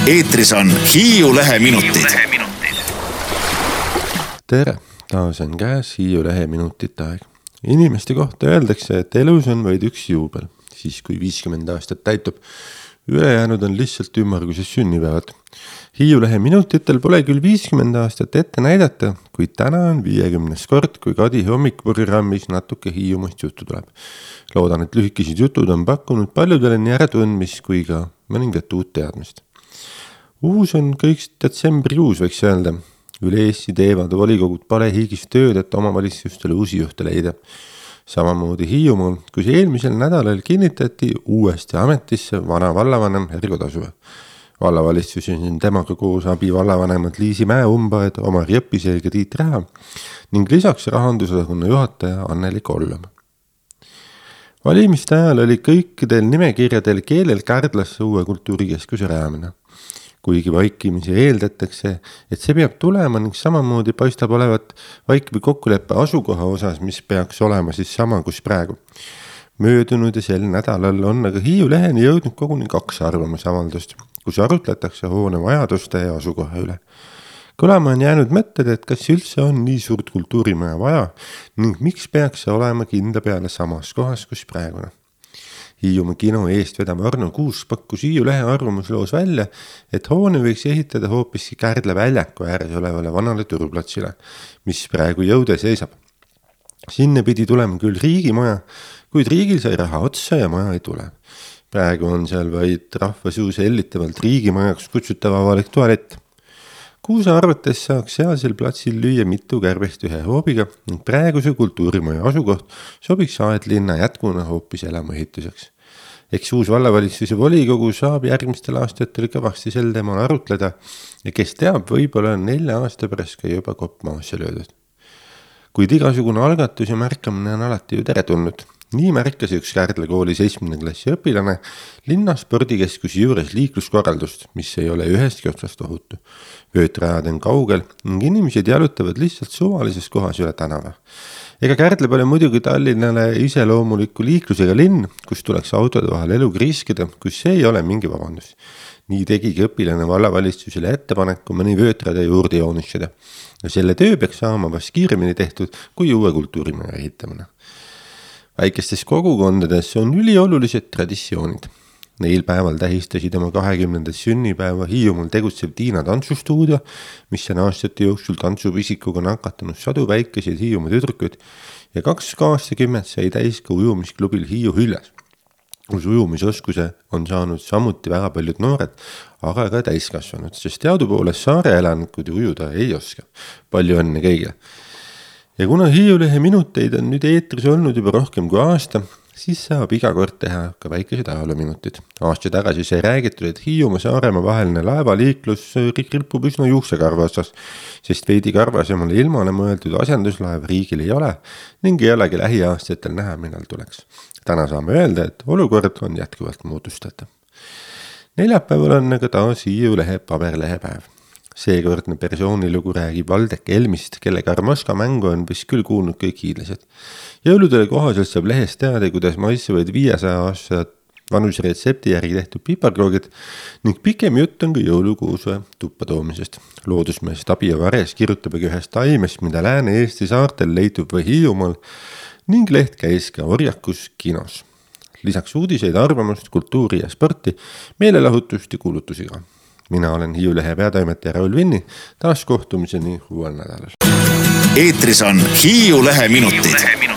Eetris on Hiiu Lehe minutid. Tere, taas on käes Hiiu Lehe minutite aeg. Inimeste kohta öeldakse, et elus on vaid üks juubel, siis kui 50 aastat täitub. Ülejäänud on lihtsalt ümmarguses sünnipäevad. Hiiu Lehe minutitel pole küll 50 aastat ette näidata, kuid täna on 50. kord, kui Kadi hommikuprogrammis natuke Hiiumast juttu tuleb. Loodan, et lühikesed jutud on pakkunud paljudele nii äratundmist kui ka mõningat uut teadmist. Uus on kõik detsembrikuus, võiks öelda. Üle Eesti teevad volikogud palehigis tööd, et omavalitsustele uusi juhte leida. Samamoodi Hiiumaal, kus eelmisel nädalal kinnitati uuesti ametisse vana vallavanem Ergo Tasuve. Vallavalitsuses on temaga koos abi vallavanemad Liisi Mäe-Umbaed, Omar Jõppisel ja Tiit Räha ning lisaks rahandusosakonna juhataja Anneli Kollom. Valimiste ajal oli kõikidel nimekirjadel keelel Kärdlasse uue kultuurikeskuse rajamine. Kuigi vaikimisi eeldatakse, et see peab tulema ning samamoodi paistab olevat vaikivi kokkuleppe asukoha osas, mis peaks olema siis sama kus praegu. Möödunud ja sel nädalal on aga Hiiu Leheni jõudnud koguni 2 arvamusavaldust, kus arutletakse hoone vajaduste ja asukoha üle. Kõlama on jäänud mõtted, et kas üldse on nii suurt kultuurimaja vaja ning miks peaks see olema kinda peale samas kohas, kus praegune. Hiiumaa kino eestvedav Arno Kuus pakkus Hiiu Lehe arvamusloos välja, et hoone võiks ehitada hoopiski Kärdla väljaku ääres olevale vanale turuplatsile, mis praegu jõude seisab. Sinne pidi tulema küll riigimaja, kuid riigil sai raha otsa ja maja ei tule. Praegu on seal vaid rahvasuus hellitavalt riigimajaks kutsutav avalik tualett. Kuusa arvates saaks sealsel platsil lüüa mitu kärbest ühe hoobiga ning praeguse kultuurimaja asukoht sobiks Aedlinna jätkuna hoopis elamuehituseks. Eks uus vallavalitsuse volikogu saab järgmistel aastatel kõvasti sel teemal arutleda ja kes teab, võib-olla 4 aasta pärast ka juba kopp maasse löödud. Kuid igasugune algatus ja märkamine on alati ju teretulnud. Nii märkas üks Kärdla kooli 7. klassi õpilane linna spordikeskuse juures liikluskorraldust, mis ei ole ühestki otsast ohutu. Vöötrajad on kaugel ning inimesed jalutavad lihtsalt suvalises kohas üle tänava. Ega Kärdla pole muidugi Tallinnale iseloomuliku liiklusega linn, kus tuleks autode vahel eluga riskida, kus see ei ole mingi vabandus. Nii tegigi õpilane vallavalitsusele ettepaneku mõni vöötrade juurde joonistada. Ja selle töö peaks saama vast kiiremini tehtud kui uue kultuurimaja ehitamine. Väikestes kogukondades on üliolulised traditsioonid. Neil päeval tähistasid oma 20. sünnipäeva Hiiumaal tegutsev Tiina tantsustuudio, mis on aastate jooksul tantsupisikuga nakatanud sadu väikeseid Hiiumaa tüdrukuid ja 2 aastakümmet sai täis ka ujumisklubil Hiiu Hüljas, kus ujumisoskuse on saanud samuti väga paljud noored, aga ka täiskasvanud, sest teadupoolest saare elanikud ujuda ei oska. Palju õnne kõigile! Ja kuna Hiiu Lehe minuteid on nüüd eetris olnud juba rohkem kui aasta, siis saab iga kord teha ka väikesed ajaloominutid. Aasta tagasi sai räägitud, et Hiiumaa Saaremaa vaheline laevaliiklus ripub üsna juuksekarva otsas, sest veidi karvasemale ilmale mõeldud asenduslaev riigil ei ole ning ei olegi lähiaastatel näha, millal tuleks. Täna saame öelda, et olukord on jätkuvalt muutustatav. Neljapäeval on aga taas Hiiu Lehe paberlehepäev. Seekordne persoonilugu räägib Valdek Elmist, kelle Karmoska mängu on vist küll kuulnud kõik hiidlased. Jõuludele kohaselt saab lehest teada, kuidas maitsevad 500 aastat vanuse retsepti järgi tehtud piparkoogid ning pikem jutt on ka jõulukuuse tuppa toomisest. Loodusmees Tabia Vares kirjutab ühest taimest, mida Lääne-Eesti saartel leitub või Hiiumaal ning leht käis ka Orjakus kinos. Lisaks uudiseid, arvamust, kultuuri ja sporti, meelelahutust ja kuulutusi ka. Mina olen Hiiu Lehe peatoimetaja Raul Vinni, taas kohtumiseni uuel nädalal. Eetris on Hiiu Lehe minutid.